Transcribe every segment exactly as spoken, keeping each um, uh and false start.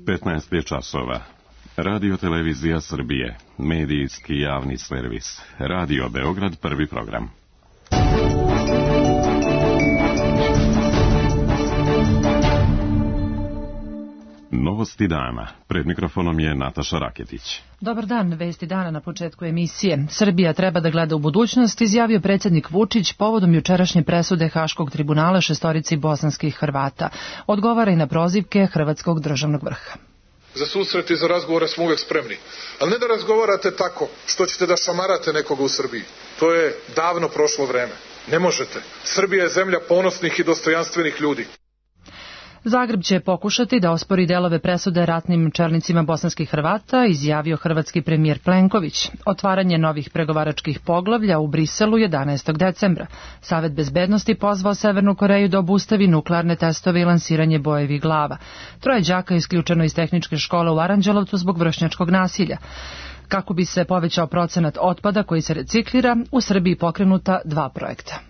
petnaest je časova. Radio Televizija Srbije, medijski javni servis. Radio Beograd, prvi program. Novosti dana. Pred mikrofonom je Nataša Raketić. Dobar dan, vesti dana na početku emisije. Srbija treba da gleda u budućnost, izjavio predsjednik Vučić povodom jučerašnje presude Haškog tribunala šestorici bosanskih Hrvata. Odgovara i na prozivke hrvatskog državnog vrha. Za susret i za razgovore smo uvek spremni. Ali ne da razgovarate tako što ćete da šamarate nekoga u Srbiji. To je davno prošlo vreme. Ne možete. Srbija je zemlja ponosnih i dostojanstvenih ljudi. Zagreb će pokušati da ospori delove presude ratnim čelnicima bosanskih Hrvata, izjavio hrvatski premijer Plenković. Otvaranje novih pregovaračkih poglavlja u Briselu jedanaestog decembra. Savet bezbednosti pozvao Severnu Koreju da obustavi nuklearne testove i lansiranje bojevih glava. Troje đaka isključeno iz tehničke škole u Aranđelovcu zbog vršnjačkog nasilja. Kako bi se povećao procenat otpada koji se reciklira, u Srbiji pokrenuta dva projekta.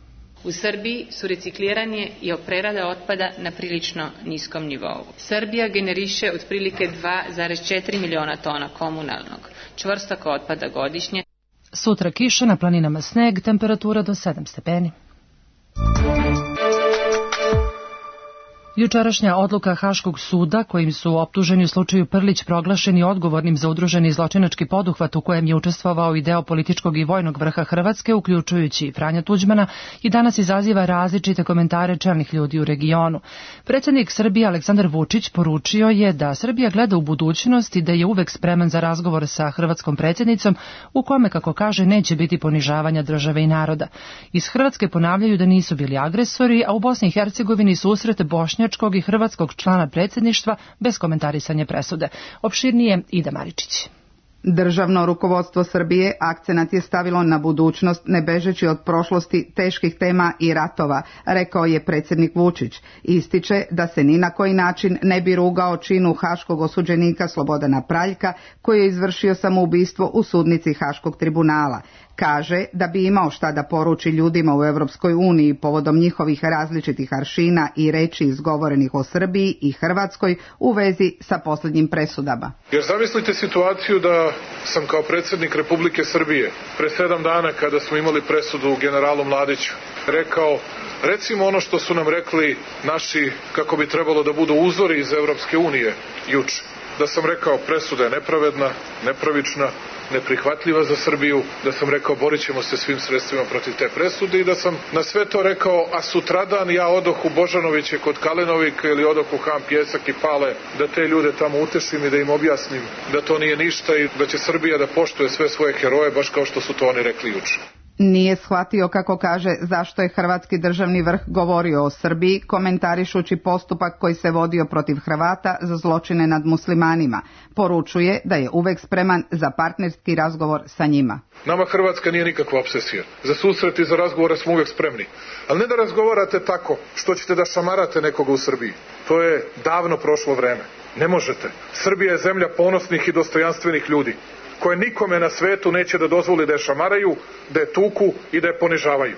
U Srbiji su recikliranje i prerada otpada na prilično niskom nivou. Srbija generiše otprilike dva zarez četiri miliona tona komunalnog čvrstog otpada godišnje. Sutra kiša, na planinama sneg, temperatura do sedam stepeni. Jučerašnja odluka Haškog suda, kojim su optuženi u slučaju Prlić proglašeni odgovornim za udruženi zločinački poduhvat u kojem je učestvovao i deo političkog i vojnog vrha Hrvatske, uključujući Franja Tuđmana, i danas izaziva različite komentare čelnih ljudi u regionu. Predsjednik Srbije Aleksandar Vučić poručio je da Srbija gleda u budućnost i da je uvek spreman za razgovor sa hrvatskom predsjednicom, u kome, kako kaže, neće biti ponižavanja države i naroda. Iz Hrvatske ponavljaju da nisu bili agresori, a u Bosni i Hercegovini susret Bošnja i hrvatskog člana predsjedništva bez komentarisanja presude. Opširnije Ida Maričić. Državno rukovodstvo Srbije akcenat je stavilo na budućnost, ne bežeći od prošlosti, teških tema i ratova, rekao je predsjednik Vučić. Ističe da se ni na koji način ne bi rugao činu haškog osuđenika Slobodana Praljka, koji je izvršio samoubistvo u sudnici Haškog tribunala. Kaže da bi imao šta da poruči ljudima u Europskoj uniji povodom njihovih različitih aršina i reči izgovorenih o Srbiji i Hrvatskoj u vezi sa posljednjim presudama. Jer zamislite situaciju da sam kao predsjednik Republike Srbije pre sedam dana, kada smo imali presudu generalu Mladiću, rekao: recimo ono što su nam rekli naši, kako bi trebalo da budu uzori iz Europske unije juče. Da sam rekao presuda je nepravedna, nepravična, neprihvatljiva za Srbiju, da sam rekao borit ćemo se svim sredstvima protiv te presude i da sam na sve to rekao, a sutradan ja odoh u Božanoviće kod Kalenovika ili odoh u Ham Pjesak i Pale, da te ljude tamo utešim i da im objasnim da to nije ništa i da će Srbija da poštuje sve svoje heroje, baš kao što su to oni rekli juče. Nije shvatio, kako kaže, zašto je hrvatski državni vrh govorio o Srbiji, komentarišući postupak koji se vodio protiv Hrvata za zločine nad muslimanima. Poručuje da je uvek spreman za partnerski razgovor sa njima. Nama Hrvatska nije nikakva obsesija. Za susret i za razgovore smo uvek spremni. Ali ne da razgovarate tako što ćete da šamarate nekoga u Srbiji. To je davno prošlo vreme. Ne možete. Srbija je zemlja ponosnih i dostojanstvenih ljudi, koje nikome na svetu neće da dozvoli da je šamaraju, da je tuku i da je ponižavaju.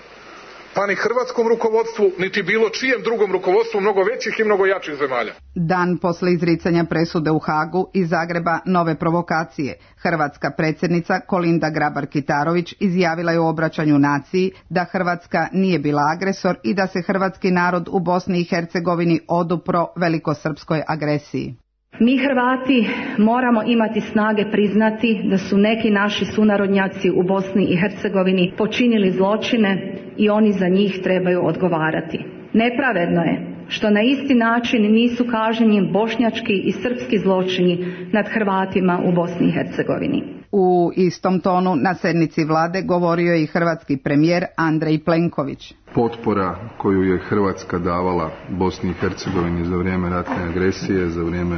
Pa ni hrvatskom rukovodstvu, niti bilo čijem drugom rukovodstvu mnogo većih i mnogo jačih zemalja. Dan posle izricanja presude u Hagu iz Zagreba nove provokacije. Hrvatska predsjednica Kolinda Grabar-Kitarović izjavila je u obraćanju naciji da Hrvatska nije bila agresor i da se hrvatski narod u Bosni i Hercegovini odupro velikosrpskoj agresiji. Mi Hrvati moramo imati snage priznati da su neki naši sunarodnjaci u Bosni i Hercegovini počinili zločine i oni za njih trebaju odgovarati. Nepravedno je što na isti način nisu kažnjeni bošnjački i srpski zločini nad Hrvatima u Bosni i Hercegovini. U istom tonu na sednici vlade govorio je i hrvatski premijer Andrej Plenković. Potpora koju je Hrvatska davala Bosni i Hercegovini za vrijeme ratne agresije, za vrijeme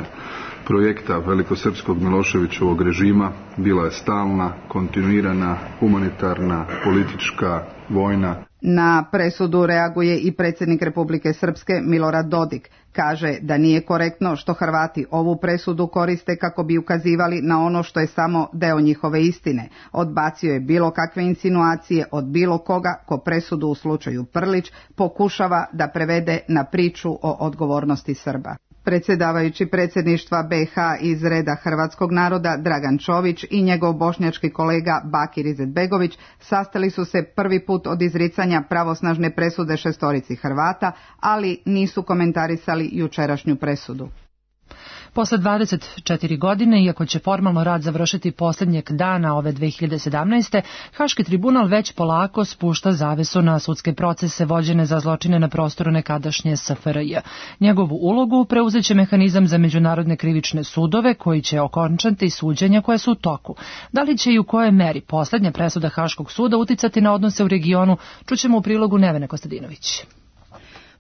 projekta velikosrpskog Miloševićevog režima bila je stalna, kontinuirana, humanitarna, politička, vojna. Na presudu reaguje i predsjednik Republike Srpske Milorad Dodik. Kaže da nije korektno što Hrvati ovu presudu koriste kako bi ukazivali na ono što je samo deo njihove istine. Odbacio je bilo kakve insinuacije od bilo koga ko presudu u slučaju Prlić pokušava da prevede na priču o odgovornosti Srba. Predsjedavajući predsjedništva B iH iz reda hrvatskog naroda Dragan Čović i njegov bošnjački kolega Bakir Izetbegović sastali su se prvi put od izricanja pravosnažne presude šestorici Hrvata, ali nisu komentarisali jučerašnju presudu. Posle dvadeset četiri godine, iako će formalno rad završiti posljednjeg dana ove dve hiljade sedamnaeste. Haški tribunal već polako spušta zavesu na sudske procese vođene za zločine na prostoru nekadašnje S F R J. Njegovu ulogu preuzeće mehanizam za međunarodne krivične sudove koji će okončati suđenja koja su u toku. Da li će i u kojoj meri posljednja presuda Haškog suda uticati na odnose u regionu, čućemo u prilogu Nevene Kostadinović.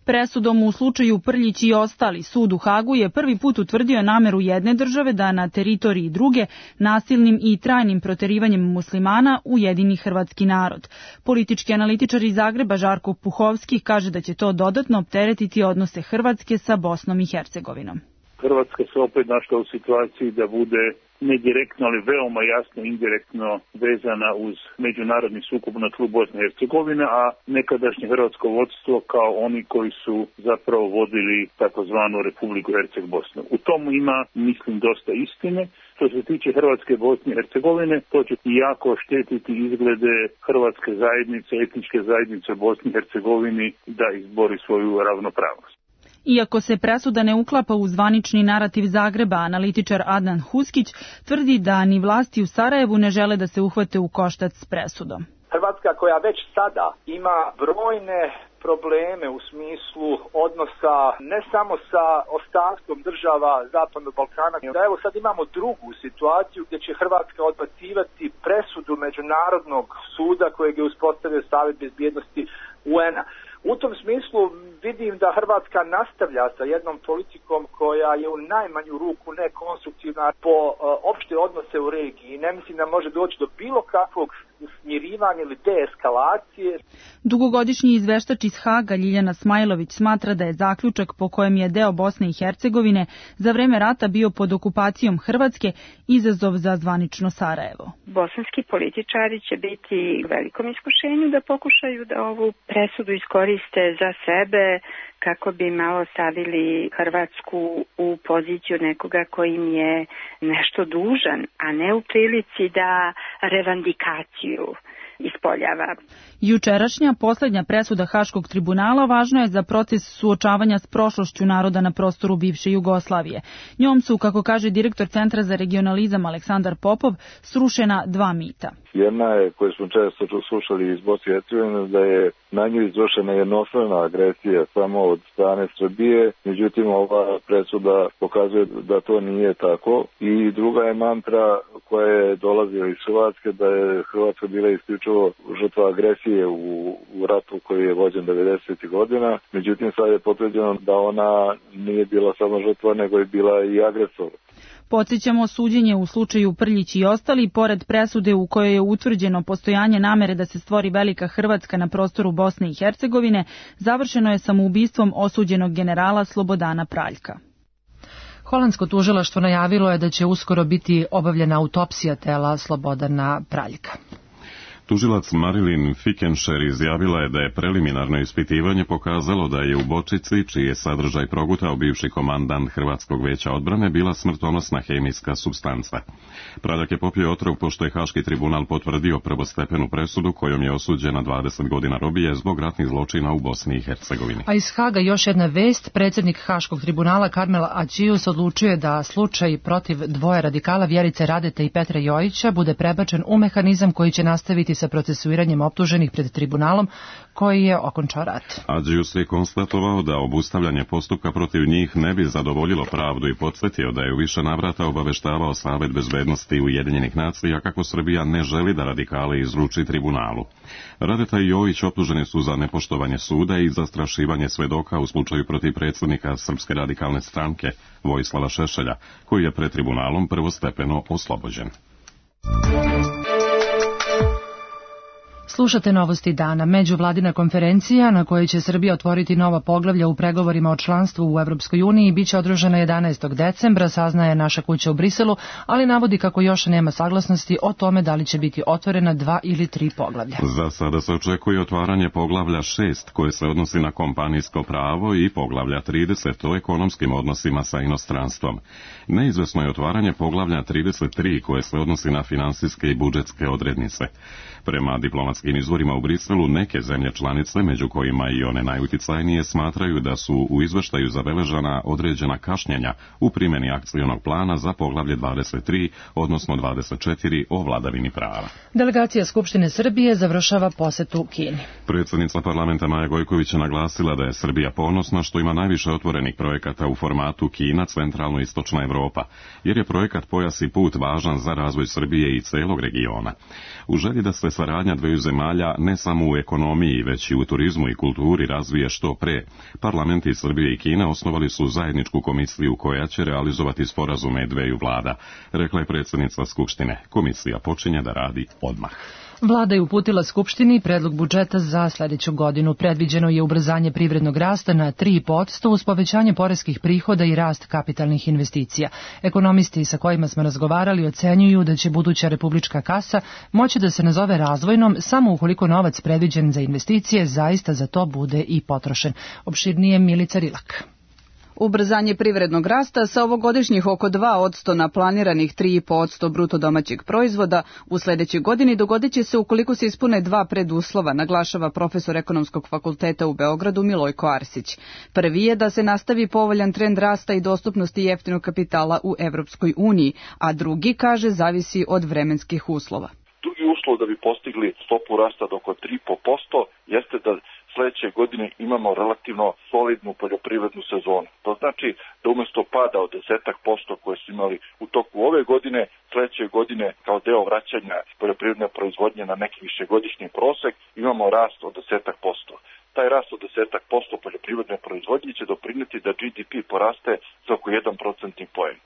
Presudom u slučaju Prljić i ostali, sud u Hagu je prvi put utvrdio nameru jedne države da na teritoriji druge nasilnim i trajnim proterivanjem muslimana ujedini hrvatski narod. Politički analitičar iz Zagreba Žarko Puhovski kaže da će to dodatno opteretiti odnose Hrvatske sa Bosnom i Hercegovinom. Hrvatska se opet našla u situaciji da bude ne direktno, ali veoma jasno indirektno vezana uz međunarodni sukob na tlu Bosne i Hercegovine, a nekadašnje hrvatsko vodstvo kao oni koji su zapravo vodili takozvanu Republiku Herceg Bosnu. U tomu ima, mislim, dosta istine. Što se tiče Hrvatske, Bosne i Hercegovine, to će jako štetiti izglede hrvatske zajednice, etničke zajednice u Bosni i Hercegovini da izbori svoju ravnopravnost. Iako se presuda ne uklapa u zvanični narativ Zagreba, analitičar Adnan Huskić tvrdi da ni vlasti u Sarajevu ne žele da se uhvate u koštac s presudom. Hrvatska koja već sada ima brojne probleme u smislu odnosa ne samo sa ostatkom država Zapadnog Balkana, da evo sad imamo drugu situaciju gdje će Hrvatska odbacivati presudu Međunarodnog suda kojeg je uspostavio Savjet bezbjednosti U N-a. U tom smislu vidim da Hrvatska nastavlja sa jednom politikom koja je u najmanju ruku nekonstruktivna po uh, opšte odnose u regiji. Ne mislim da može doći do bilo kakvog smirivanja ili deeskalacije. Dugogodišnji izveštač iz Haga Ljiljana Smajlović smatra da je zaključak po kojem je deo Bosne i Hercegovine za vreme rata bio pod okupacijom Hrvatske izazov za zvanično Sarajevo. Bosanski političari će biti u velikom iskušenju da pokušaju da ovu presudu iskoriste za sebe kako bi malo stavili Hrvatsku u poziciju nekoga kojim je nešto dužan, a ne u prilici da revandikaciju ispoljava. Jučerašnja posljednja presuda Haškog tribunala važna je za proces suočavanja s prošlošću naroda na prostoru bivše Jugoslavije. Njom su, kako kaže direktor Centra za regionalizam Aleksandar Popov, srušena dva mita. Jedna je, koju smo često slušali iz Bosne i Hercegovine, da je na nju izvršena jednostrana agresija samo od strane Srbije, međutim ova presuda pokazuje da to nije tako. I druga je mantra koja je dolazila iz Hrvatske, da je Hrvatska bila isključivo žrtva agresije u, u ratu koji je vođen devedesetih godina, međutim sad je potvrđeno da ona nije bila samo žrtva, nego je bila i agresor. Podsjećamo, suđenje u slučaju Prljić i ostali, pored presude u kojoj je utvrđeno postojanje namere da se stvori velika Hrvatska na prostoru Bosne i Hercegovine, završeno je samoubistvom osuđenog generala Slobodana Praljka. Holandsko tužilaštvo najavilo je da će uskoro biti obavljena autopsija tela Slobodana Praljka. Tužilac Marilyn Fickenshire izjavila je da je preliminarno ispitivanje pokazalo da je u bočici, čiji je sadržaj progutao bivši komandant Hrvatskog veća odbrane, bila smrtonosna hemijska supstanca. Praljak je popio otrov pošto je Haški tribunal potvrdio prvostepenu presudu kojom je osuđen na dvadeset godina robije zbog ratnih zločina u Bosni i Hercegovini. A iz Haga još jedna vest. Predsjednik Haškog tribunala Karmel Ađijus odlučuje da slučaj protiv dvoje radikala Vjerice Radete i Petra Jojića bude prebačen u mehanizam koji će nastaviti sa procesuiranjem optuženih pred tribunalom koji je okončao rat. Ađijus je konstatovao da obustavljanje postupka protiv njih ne bi zadovoljilo pravdu i podsjetio da je u više navrata obaveštavao Savet bezbednosti Ujedinjenih nacija kako Srbija ne želi da radikale izruči tribunalu. Radeta i Jojić optuženi su za nepoštovanje suda i zastrašivanje svedoka u slučaju protiv predsjednika Srpske radikalne stranke Vojislava Šešelja, koji je pred tribunalom prvostepeno oslobođen. Slušate novosti dana. Međuvladina konferencija na kojoj će Srbija otvoriti nova poglavlja u pregovorima o članstvu u Evropskoj uniji biće održana jedanaestog decembra, saznaje naša kuća u Briselu, ali navodi kako još nema saglasnosti o tome da li će biti otvorena dva ili tri poglavlja. Za sada se očekuje otvaranje poglavlja šest koje se odnosi na kompanijsko pravo i poglavlja trideset o ekonomskim odnosima sa inostranstvom. Neizvesno je otvaranje poglavlja trideset tri koje se odnosi na finansijske i budžetske odrednice. Prema diplomatskim izvorima u Briselu, neke zemlje članice, među kojima i one najuticajnije, smatraju da su u izveštaju zabeležena određena kašnjenja u primjeni akcionog plana za poglavlje dvadeset tri, odnosno dvadeset četiri o vladavini prava. Delegacija Skupštine Srbije završava posetu Kini. Predsjednica parlamenta Maja Gojković je naglasila da je Srbija ponosna što ima najviše otvorenih projekata u formatu Kina, centralno istočna Evropa, jer je projekat Pojas i put važan za razvoj Srbije i celog regiona. U želji da se saradnja dveju zemalja ne samo u ekonomiji, već i u turizmu i kulturi razvije što pre, parlamenti Srbije i Kine osnovali su zajedničku komisiju koja će realizovati sporazume dveju vlada, rekla je predsjednica Skupštine. Komisija počinje da radi odmah. Vlada je uputila Skupštini predlog budžeta za sljedeću godinu. Predviđeno je ubrzanje privrednog rasta na tri posto uz povećanje poreskih prihoda i rast kapitalnih investicija. Ekonomisti sa kojima smo razgovarali ocenjuju da će buduća republička kasa moći da se nazove razvojnom samo ukoliko novac predviđen za investicije zaista za to bude i potrošen. Opširnije Milica Rilak. Ubrzanje privrednog rasta sa ovogodišnjih oko dva posto na planiranih tri i po posto bruto domaćeg proizvoda u sljedećoj godini dogodit će se ukoliko se ispune dva preduslova, naglašava profesor Ekonomskog fakulteta u Beogradu Milojko Arsić. Prvi je da se nastavi povoljan trend rasta i dostupnosti jeftinog kapitala u Evropskoj uniji, a drugi, kaže, zavisi od vremenskih uslova. Drugi uslov da bi postigli stopu rasta do oko tri i po posto jeste da sljedeće godine imamo relativno solidnu poljoprivrednu sezonu. To znači da umjesto pada od desetak posto koje su imali u toku ove godine, sljedeće godine kao deo vraćanja poljoprivredne proizvodnje na neki višegodišnji prosek imamo rast od desetak posto. Taj rast od desetak posto poljoprivredne proizvodnje će doprinijeti da G D P poraste za oko jedan procentni poen.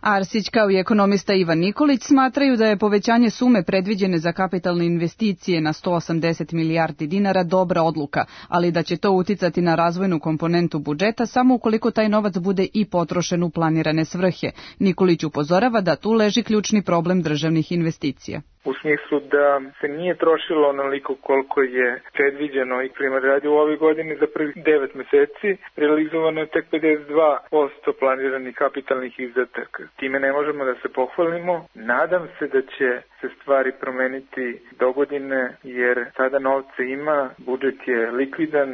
Arsić kao i ekonomista Ivan Nikolić smatraju da je povećanje sume predviđene za kapitalne investicije na sto osamdeset milijardi dinara dobra odluka, ali da će to uticati na razvojnu komponentu budžeta samo ukoliko taj novac bude i potrošen u planirane svrhe. Nikolić upozorava da tu leži ključni problem državnih investicija. U smislu da se nije trošilo onoliko koliko je predviđeno i primjer radi u ovoj godini za prvih devet meseci, realizovano je tek pedeset dva posto planiranih kapitalnih izdataka. Time ne možemo da se pohvalimo. Nadam se da će se stvari promeniti dogodine jer sada novca ima, budžet je likvidan.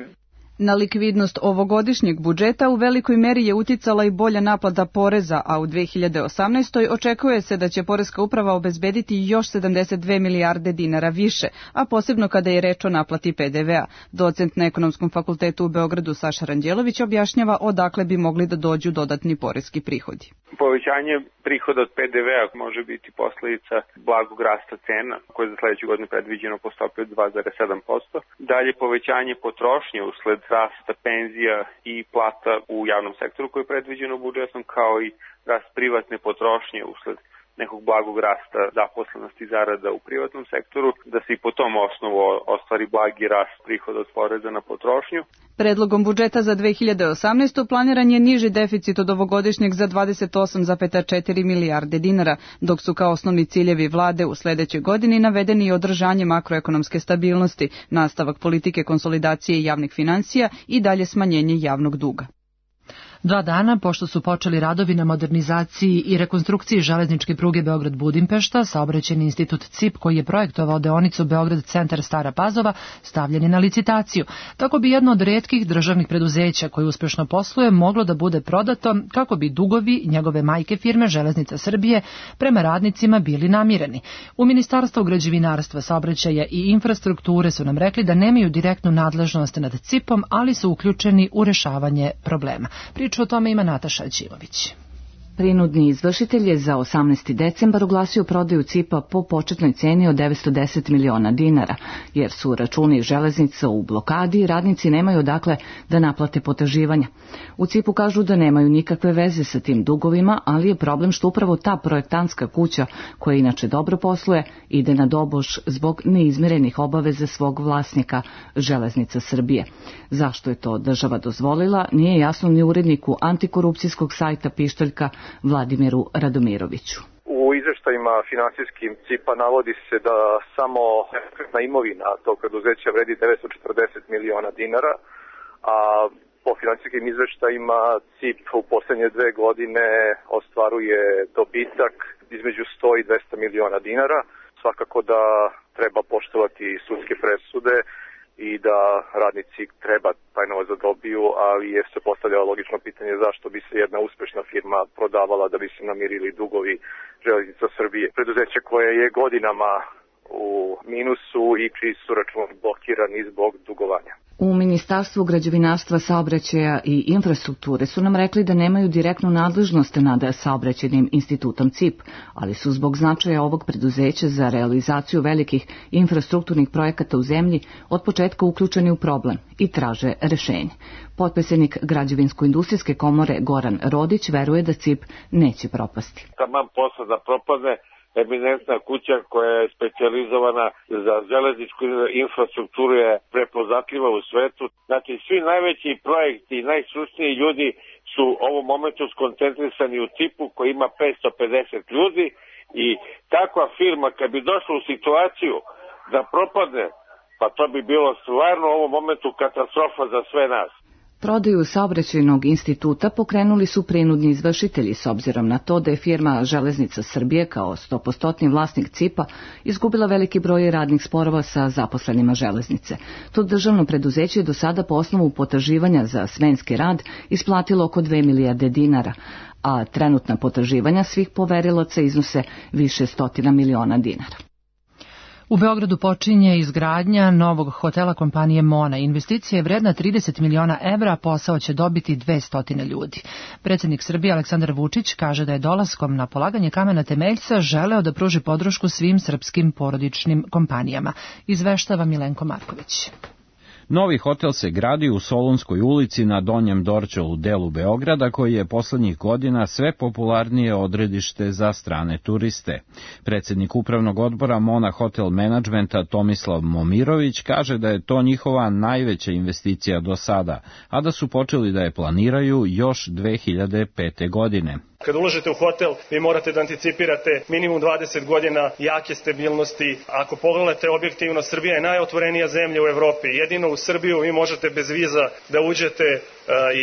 Na likvidnost ovogodišnjeg budžeta u velikoj meri je uticala i bolja naplata poreza, a u dve hiljade osamnaestoj. očekuje se da će Poreska uprava obezbediti još sedamdeset dve milijarde dinara više, a posebno kada je reč o naplati P D V a. Docent na Ekonomskom fakultetu u Beogradu Saša Ranđelović objašnjava odakle bi mogli da dođu dodatni poreski prihodi. Povećanje prihoda od P D V a može biti posljedica blagog rasta cena, koje je za sljedeću godinu predviđeno po stopi od dva zarez sedam posto. Dalje povećanje potrošnje usled rasta penzija i plata u javnom sektoru koje je predviđeno budžetom, kao i rast privatne potrošnje usled nekog blagog rasta zaposlenosti zarada u privatnom sektoru, da se i po tom osnovu ostvari blagi rast prihoda od poreza na potrošnju. Predlogom budžeta za dve hiljade osamnaestu. planiran je niži deficit od ovogodišnjeg za dvadeset osam zarez četiri milijarde dinara, dok su kao osnovni ciljevi vlade u sljedećoj godini navedeni i održanje makroekonomske stabilnosti, nastavak politike konsolidacije javnih financija i dalje smanjenje javnog duga. Dva dana pošto su počeli radovi na modernizaciji i rekonstrukciji železničke pruge Beograd-Budimpešta, saobraćajni institut C I P koji je projektovao deonicu Beograd-Centar Stara Pazova stavljen je na licitaciju. Tako bi jedno od retkih državnih preduzeća koje uspješno posluje moglo da bude prodato kako bi dugovi njegove majke firme Železnica Srbije prema radnicima bili namireni. U Ministarstvu građevinarstva, saobraćaja i infrastrukture su nam rekli da nemaju direktnu nadležnost nad C I P-om, ali su uključeni u rešavanje problema. Priču o tome ima Nataša Ćilović. Prinudni izvršitelj je za osamnaesti decembar oglasio prodaju C I P-a po početnoj ceni od devetsto deset miliona dinara, jer su računi železnica u blokadi i radnici nemaju odakle da naplate potraživanja. U C I P-u kažu da nemaju nikakve veze sa tim dugovima, ali je problem što upravo ta projektantska kuća, koja inače dobro posluje, ide na doboš zbog neizmirenih obaveza svog vlasnika Železnica Srbije. Zašto je to država dozvolila, nije jasno ni uredniku antikorupcijskog sajta Pištaljka Vladimiru Radomiroviću. U izveštajima finansijskim C I P-a navodi se da samo nepokretna imovina tog preduzeća vredi devetsto četrdeset miliona dinara, a po finansijskim izveštajima C I P u poslednje dve godine ostvaruje dobitak između sto i dvesta miliona dinara. Svakako da treba poštovati sudske presude i da radnici treba taj novac da dobiju, ali je se postavljalo logično pitanje zašto bi se jedna uspešna firma prodavala da bi se namirili dugovi Železnica Srbije. Preduzeće koje je godinama u minusu i čiji su računi blokirani zbog dugovanja. U Ministarstvu građevinarstva, saobraćaja i infrastrukture su nam rekli da nemaju direktnu nadležnost nad saobraćajnim institutom C I P, ali su zbog značaja ovog preduzeća za realizaciju velikih infrastrukturnih projekata u zemlji od početka uključeni u problem i traže rešenje. Potpredsednik Građevinsko-industrijske komore Goran Rodić veruje da C I P neće propasti. Taman posla da propadne, eminentna kuća koja je specijalizovana za železničku infrastrukturu je prepoznatljiva u svetu. Znači, svi najveći projekti i najstručniji ljudi su u ovom momentu skoncentrisani u C I P-u koji ima petsto pedeset ljudi i takva firma kad bi došla u situaciju da propadne, pa to bi bilo stvarno u ovom momentu katastrofa za sve nas. Prodaju saobraćajnog instituta pokrenuli su prinudni izvršitelji s obzirom na to da je firma Železnica Srbije kao sto posto vlasnik C I P-a izgubila veliki broj radnih sporova sa zaposlenima železnice. To državno preduzeće je do sada po osnovu potraživanja za smenski rad isplatilo oko dve milijarde dinara, a trenutna potraživanja svih poverilaca iznose više stotina miliona dinara. U Beogradu počinje izgradnja novog hotela kompanije Mona. Investicija je vredna trideset miliona evra, a posao će dobiti dvesta ljudi. Predsjednik Srbije Aleksandar Vučić kaže da je dolaskom na polaganje kamena temeljca želeo da pruži podršku svim srpskim porodičnim kompanijama. Izveštava Milenko Marković. Novi hotel se gradi u Solunskoj ulici na Donjem Dorćolu delu Beograda, koji je poslednjih godina sve popularnije odredište za strane turiste. Predsjednik upravnog odbora Mona Hotel Managementa Tomislav Momirović kaže da je to njihova najveća investicija do sada, a da su počeli da je planiraju još dve hiljade pete. godine. Kad ulažete u hotel, vi morate da anticipirate minimum dvadeset godina jake stabilnosti. Ako pogledate objektivno, Srbija je najotvorenija zemlja u Evropi. Jedino u Srbiju vi možete bez viza da uđete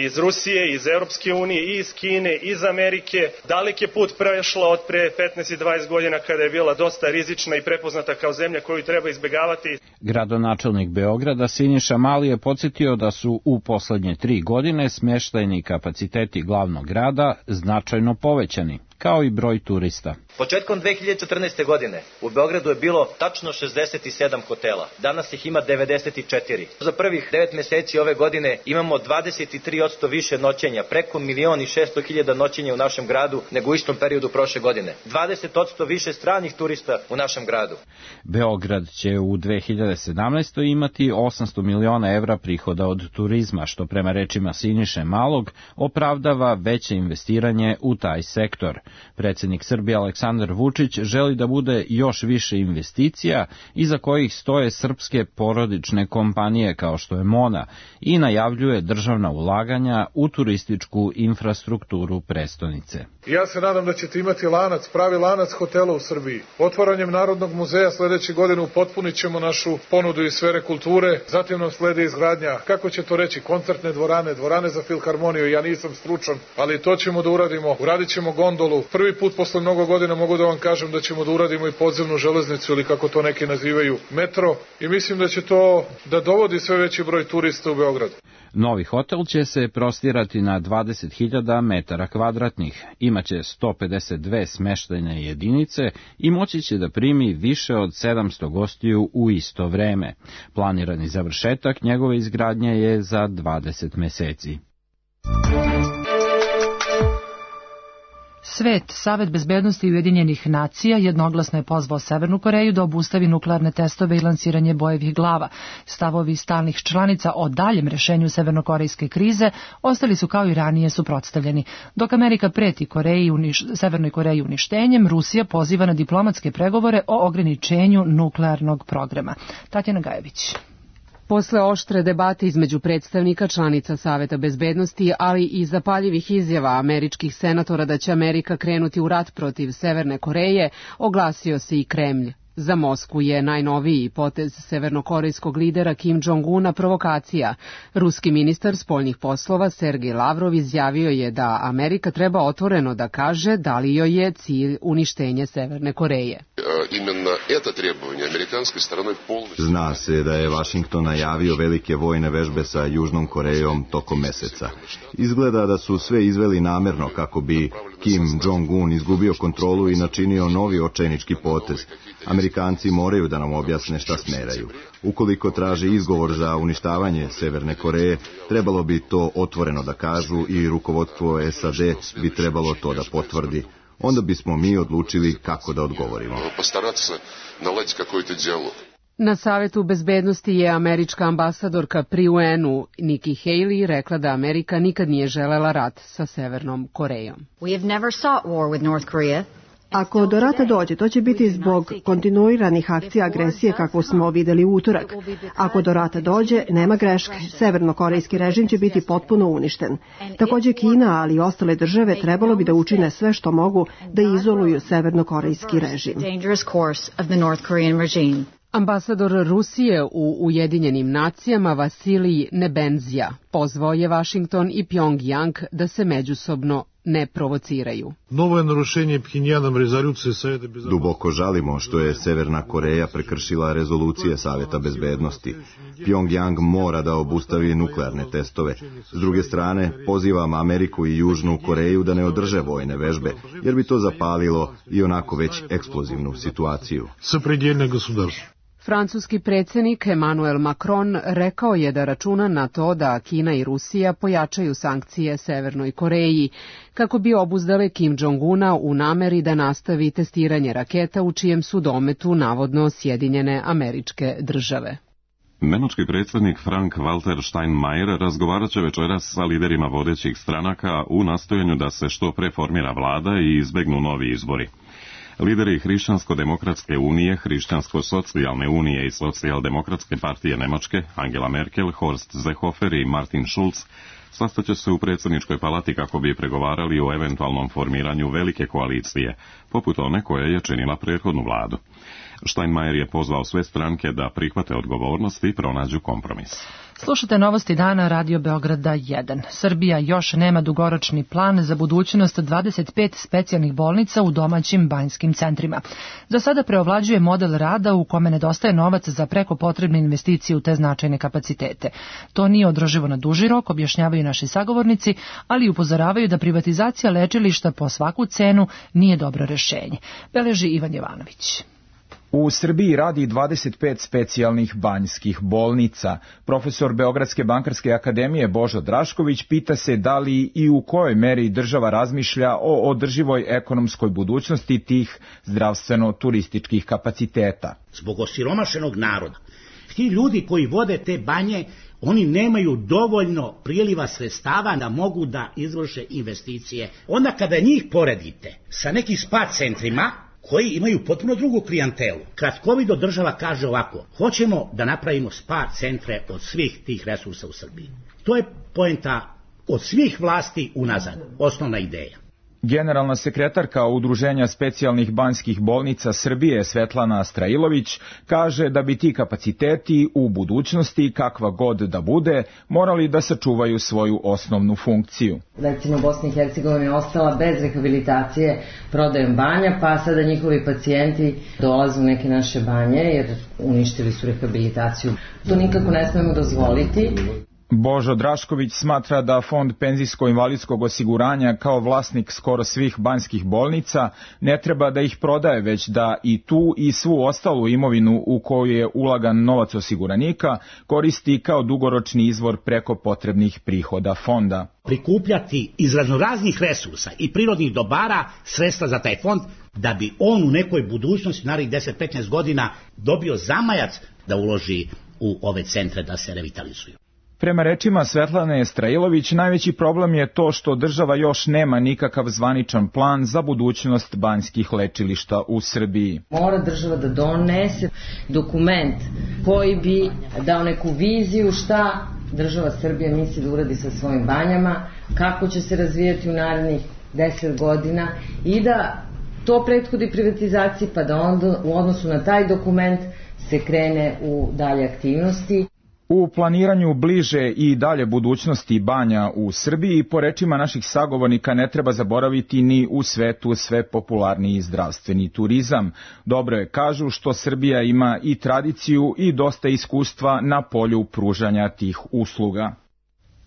iz Rusije, iz Europske unije, i iz Kine, iz Amerike. Dalek je put prešla od pre petnaest i dvadeset godina kada je bila dosta rizična i prepoznata kao zemlja koju treba izbegavati. Gradonačelnik Beograda Siniša Mali je podsjetio da su u poslednje tri godine smještajni kapaciteti glavnog grada značajno povećani, kao i broj turista. Početkom dve hiljade četrnaeste. godine u Beogradu je bilo tačno šezdeset sedam hotela, danas ih ima devedeset četiri. Za prvih devet meseci ove godine imamo dvadeset tri posto više noćenja, preko milion i šesto hiljada noćenja u našem gradu nego u istom periodu prošle godine. dvadeset posto više stranih turista u našem gradu. Beograd će u dve hiljade sedamnaestoj. imati osamsto miliona evra prihoda od turizma, što prema rečima Siniše Malog opravdava veće investiranje u taj sektor. Predsjednik Srbije Aleksandar Vučić želi da bude još više investicija iza kojih stoje srpske porodične kompanije kao što je Mona i najavljuje državna ulaganja u turističku infrastrukturu prestonice. Ja se nadam da ćete imati lanac, pravi lanac hotela u Srbiji. Otvaranjem Narodnog muzeja sledeće godine upotpunit ćemo našu ponudu iz sfere kulture, zatim nam slede izgradnja, kako će to reći, koncertne dvorane, dvorane za filharmoniju, ja nisam stručan, ali to ćemo da uradimo, uradit ćemo gondolu. Prvi put posle mnogo godina mogu da vam kažem da ćemo da uradimo i podzemnu železnicu ili kako to neki nazivaju metro i mislim da će to da dovodi sve veći broj turista u Beograd. Novi hotel će se prostirati na dvadeset hiljada metara kvadratnih, imaće sto pedeset dve smeštajne jedinice i moći će da primi više od sedamsto gostiju u isto vreme. Planirani završetak njegove izgradnje je za dvadeset meseci. Svet, Savet bezbednosti Ujedinjenih nacija jednoglasno je pozvao Severnu Koreju da obustavi nuklearne testove i lansiranje bojevih glava. Stavovi stalnih članica o daljem rešenju severnokorejske krize ostali su kao i ranije suprotstavljeni. Dok Amerika preti Koreji, uniš, Severnoj Koreji uništenjem, Rusija poziva na diplomatske pregovore o ograničenju nuklearnog programa. Tatjana Gajević. Posle oštre debate između predstavnika članica Saveta bezbednosti, ali i zapaljivih izjava američkih senatora da će Amerika krenuti u rat protiv Severne Koreje, oglasio se i Kremlj. Za Moskvu je najnoviji potez severnokorejskog lidera Kim Jong-una provokacija. Ruski ministar spoljnih poslova Sergej Lavrov izjavio je da Amerika treba otvoreno da kaže da li joj je cilj uništenje Severne Koreje. Zna se da je Vašington najavio velike vojne vežbe sa Južnom Korejom tokom meseca. Izgleda da su sve izveli namerno kako bi Kim Jong-un izgubio kontrolu i načinio novi očajnički potez. Amerikanci moraju da nam objasne šta smeraju. Ukoliko traže izgovor za uništavanje Severne Koreje, trebalo bi to otvoreno da kažu i rukovodstvo S A D bi trebalo to da potvrdi. Onda bismo mi odlučili kako da odgovorimo. Na Savetu bezbednosti je američka ambasadorka pri U N-u Nikki Haley rekla da Amerika nikad nije želela rat sa Severnom Korejom. We have never sought war with North Korea. Ako do rata dođe, to će biti zbog kontinuiranih akcija agresije kakvu smo videli u utorak. Ako do rata dođe, nema greške. Severnokorejski režim će biti potpuno uništen. Takođe Kina, ali i ostale države trebalo bi da učine sve što mogu da izoluju severnokorejski režim. Ambasador Rusije u Ujedinjenim nacijama Vasilij Nebenzija pozvao je Vašington i Pjongjang da se međusobno ne provociraju. Duboko žalimo što je Severna Koreja prekršila rezolucije Saveta bezbednosti. Pjongjang mora da obustavi nuklearne testove. S druge strane, pozivam Ameriku i Južnu Koreju da ne održe vojne vežbe, jer bi to zapalilo i onako već eksplozivnu situaciju. Francuski predsjednik Emmanuel Macron rekao je da računa na to da Kina i Rusija pojačaju sankcije Severnoj Koreji kako bi obuzdale Kim Jong-una u nameri da nastavi testiranje raketa u čijem su dometu navodno Sjedinjene Američke Države. Nemački predsjednik Frank-Walter Steinmeier razgovarat će večeras sa liderima vodećih stranaka u nastojanju da se što pre formira vlada i izbegnu novi izbori. Lideri Hrišćansko-demokratske unije, Hrišćansko-socijalne unije i Socijaldemokratske partije Nemačke, Angela Merkel, Horst Seehofer i Martin Schulz, sastaće se u predsjedničkoj palati kako bi pregovarali o eventualnom formiranju velike koalicije, poput one koja je činila prethodnu vladu. Steinmeier je pozvao sve stranke da prihvate odgovornost i pronađu kompromis. Slušate novosti dana Radio Beograda jedan. Srbija još nema dugoročni plan za budućnost dvadeset pet specijalnih bolnica u domaćim banjskim centrima. Za sada preovlađuje model rada u kome nedostaje novac za preko potrebne investicije u te značajne kapacitete. To nije održivo na duži rok, objašnjavaju naši sagovornici, ali upozoravaju da privatizacija lečilišta po svaku cenu nije dobro rešenje. Beleži Ivan Jovanović. U Srbiji radi dvadeset pet specijalnih banjskih bolnica. Profesor Beogradske bankarske akademije Božo Drašković pita se da li i u kojoj meri država razmišlja o održivoj ekonomskoj budućnosti tih zdravstveno-turističkih kapaciteta. Zbog osiromašenog naroda, ti ljudi koji vode te banje, oni nemaju dovoljno priliva sredstava da mogu da izvrše investicije. Onda kada njih poredite sa nekim spa centrima, koji imaju potpuno drugu klijentelu. Kratkovido država kaže ovako, hoćemo da napravimo spa centre od svih tih resursa u Srbiji. To je poenta od svih vlasti unazad, osnovna ideja. Generalna sekretarka Udruženja specijalnih banjskih bolnica Srbije Svetlana Strailović kaže da bi ti kapaciteti u budućnosti, kakva god da bude, morali da sačuvaju svoju osnovnu funkciju. Recimo Bosna i Hercegovina je ostala bez rehabilitacije prodajom banja, pa sada njihovi pacijenti dolaze u neke naše banje jer uništili su rehabilitaciju. To nikako ne smemo dozvoliti. Božo Drašković smatra da Fond penzijsko-invalidskog osiguranja kao vlasnik skoro svih banjskih bolnica ne treba da ih prodaje, već da i tu i svu ostalu imovinu u koju je ulagan novac osiguranika koristi kao dugoročni izvor preko potrebnih prihoda fonda. Prikupljati iz raznoraznih resursa i prirodnih dobara sredstva za taj fond da bi on u nekoj budućnosti, narednih deset do petnaest godina, dobio zamajac da uloži u ove centre da se revitalizuju. Prema rečima Svetlane Strailović, najveći problem je to što država još nema nikakav zvaničan plan za budućnost banjskih lečilišta u Srbiji. Mora država da donese dokument koji bi dao neku viziju šta država Srbija misli da uradi sa svojim banjama, kako će se razvijati u narednih deset godina i da to prethodi privatizaciji, pa da onda u odnosu na taj dokument se krene u dalje aktivnosti. U planiranju bliže i dalje budućnosti banja u Srbiji, po rečima naših sagovornika, ne treba zaboraviti ni u svetu sve popularniji zdravstveni turizam. Dobro je, kažu, što Srbija ima i tradiciju i dosta iskustva na polju pružanja tih usluga.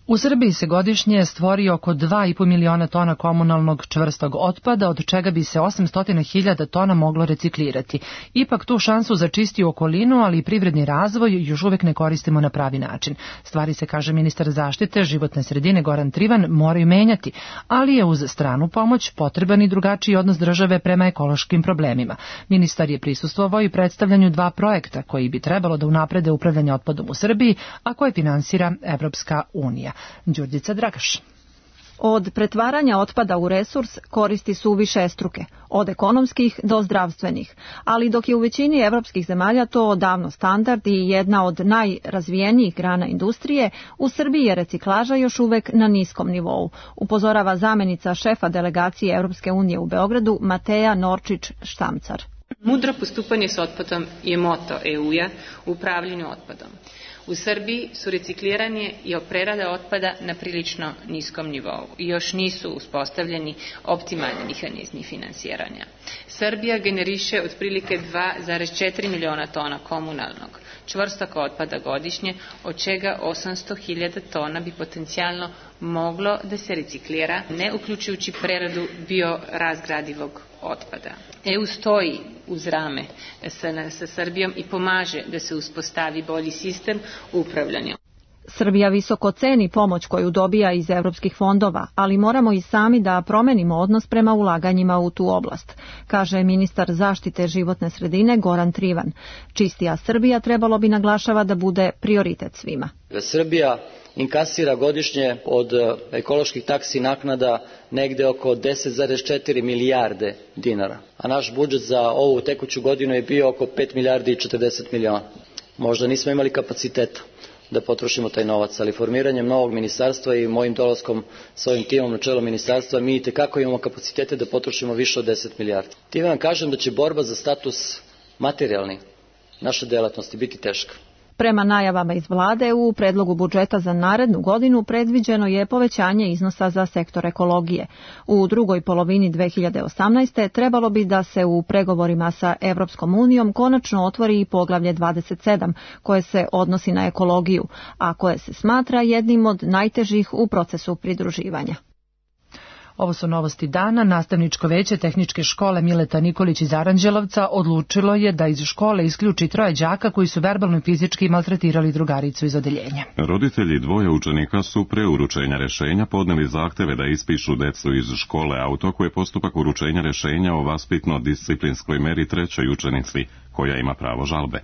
U Srbiji se godišnje stvori oko dva i po miliona tona komunalnog čvrstog otpada, od čega bi se osamsto hiljada tona moglo reciklirati. Ipak tu šansu za čistiju okolinu, ali i privredni razvoj još uvek ne koristimo na pravi način. Stvari se, kaže ministar zaštite životne sredine Goran Trivan, moraju menjati, ali je uz stranu pomoć potreban i drugačiji odnos države prema ekološkim problemima. Ministar je prisustvovao i predstavljanju dva projekta koji bi trebalo da unaprede upravljanje otpadom u Srbiji, a koje finansira Evropska unija. Đurđica Dragaš. Od pretvaranja otpada u resurs koristi su višestruke, od ekonomskih do zdravstvenih, ali dok je u većini evropskih zemalja to odavno standard i jedna od najrazvijenijih grana industrije, u Srbiji je reciklaža još uvek na niskom nivou, upozorava zamenica šefa delegacije Evropske unije u Beogradu Mateja Norčić-Štamcar. Mudro postupanje s otpadom je moto E U-a u upravljanju otpadom. U Srbiji su recikliranje i prerada otpada na prilično niskom nivou i još nisu uspostavljeni optimalni mehanizmi finansiranja. Srbija generiše otprilike dva zarez četiri miliona tona komunalnog čvrstog otpada godišnje, od čega osamsto hiljada tona bi potencijalno moglo da se reciklira, ne uključujući preradu biorazgradivog otpada. E U stoji uz rame sa, sa Srbijom i pomaže da se uspostavi bolji sistem upravljanja. Srbija visoko ceni pomoć koju dobija iz evropskih fondova, ali moramo i sami da promenimo odnos prema ulaganjima u tu oblast, kaže ministar zaštite životne sredine Goran Trivan. Čistija Srbija trebalo bi, naglašava, da bude prioritet svima. Srbija inkasira godišnje od ekoloških taksi naknada negde oko deset zarez četiri milijarde dinara, a naš budžet za ovu tekuću godinu je bio oko pet milijardi i četrdeset miliona. Možda nismo imali kapaciteta da potrošimo taj novac, ali formiranjem novog ministarstva i mojim dolaskom sa ovim timom na čelo ministarstva mi itekako imamo kapacitete da potrošimo više od deset milijardi. Time vam kažem da će borba za status materijalni naše delatnosti biti teška. Prema najavama iz vlade, u predlogu budžeta za narednu godinu predviđeno je povećanje iznosa za sektor ekologije. U drugoj polovini dve hiljade osamnaeste. trebalo bi da se u pregovorima sa Evropskom unijom konačno otvori i poglavlje dvadeset sedam, koje se odnosi na ekologiju, a koje se smatra jednim od najtežih u procesu pridruživanja. Ovo su novosti dana. Nastavničko veće Tehničke škole Mileta Nikolić iz Aranđelovca odlučilo je da iz škole isključi troje đaka koji su verbalno i fizički maltretirali drugaricu iz odeljenja. Roditelji dvoje učenika su pre uručenja rešenja podneli zahteve da ispišu decu iz škole auto, koje postupak uručenja rešenja o vaspitno-disciplinskoj meri trećoj učenici, koja ima pravo žalbe.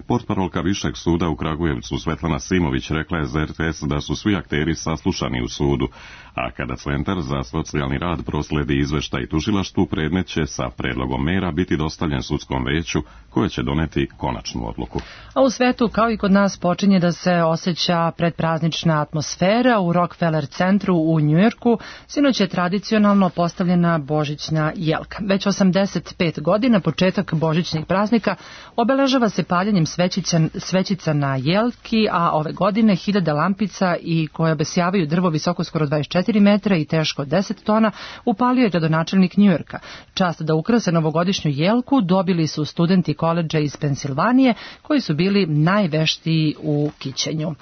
Portparolka Višeg suda u Kragujevcu Svetlana Simović rekla je za R T S da su svi akteri saslušani u sudu, a kada Centar za socijalni rad prosledi izveštaj tužilaštvu, predmet će sa predlogom mera biti dostavljen sudskom veću, koje će doneti konačnu odluku. A u svetu, kao i kod nas, počinje da se osjeća predpraznična atmosfera. U Rockefeller centru u Njujorku sinoć je tradicionalno postavljena božićna jelka. Već osamdeset pet godina početak božićnih praznika obeležava se paljenjem svećica, svećica na jelki, a ove godine hiljade lampica i koje obesjavaju drvo visoko skoro dvadeset četiri metra i teško deset deset tona, upalio je gradonačelnik Njujorka. Čast da ukrase novogodišnju jelku dobili su studenti koledža iz Pensilvanije, koji su bili najveštiji u kićenju.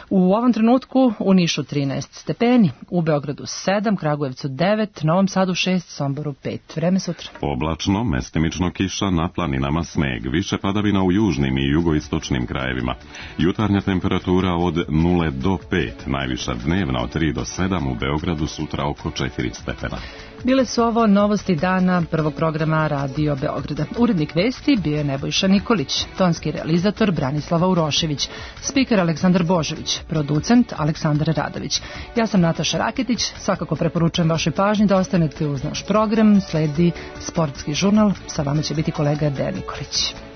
U ovom trenutku u Nišu trinaest stepeni, u Beogradu sedam, Kragujevcu devet, Novom Sadu šest, Somboru pet. Vreme sutra. Oblačno, mestimično kiša, na planinama sneg, više padavina u južnim i jugoistočnim krajevima. Jutarnja temperatura od nula do pet, najviša dnevna od tri do sedam, u Beogradu sutra oko četiri stepena. Bile su ovo novosti dana prvog programa Radio Beograda. Urednik vesti bio je Nebojša Nikolić, tonski realizator Branislava Urošević, spiker Aleksandar Božović, producent Aleksandar Radović. Ja sam Nataša Raketić, svakako preporučujem vašoj pažnji da ostanete uz naš program, sledi sportski žurnal, sa vama će biti kolega Dejan Nikolić.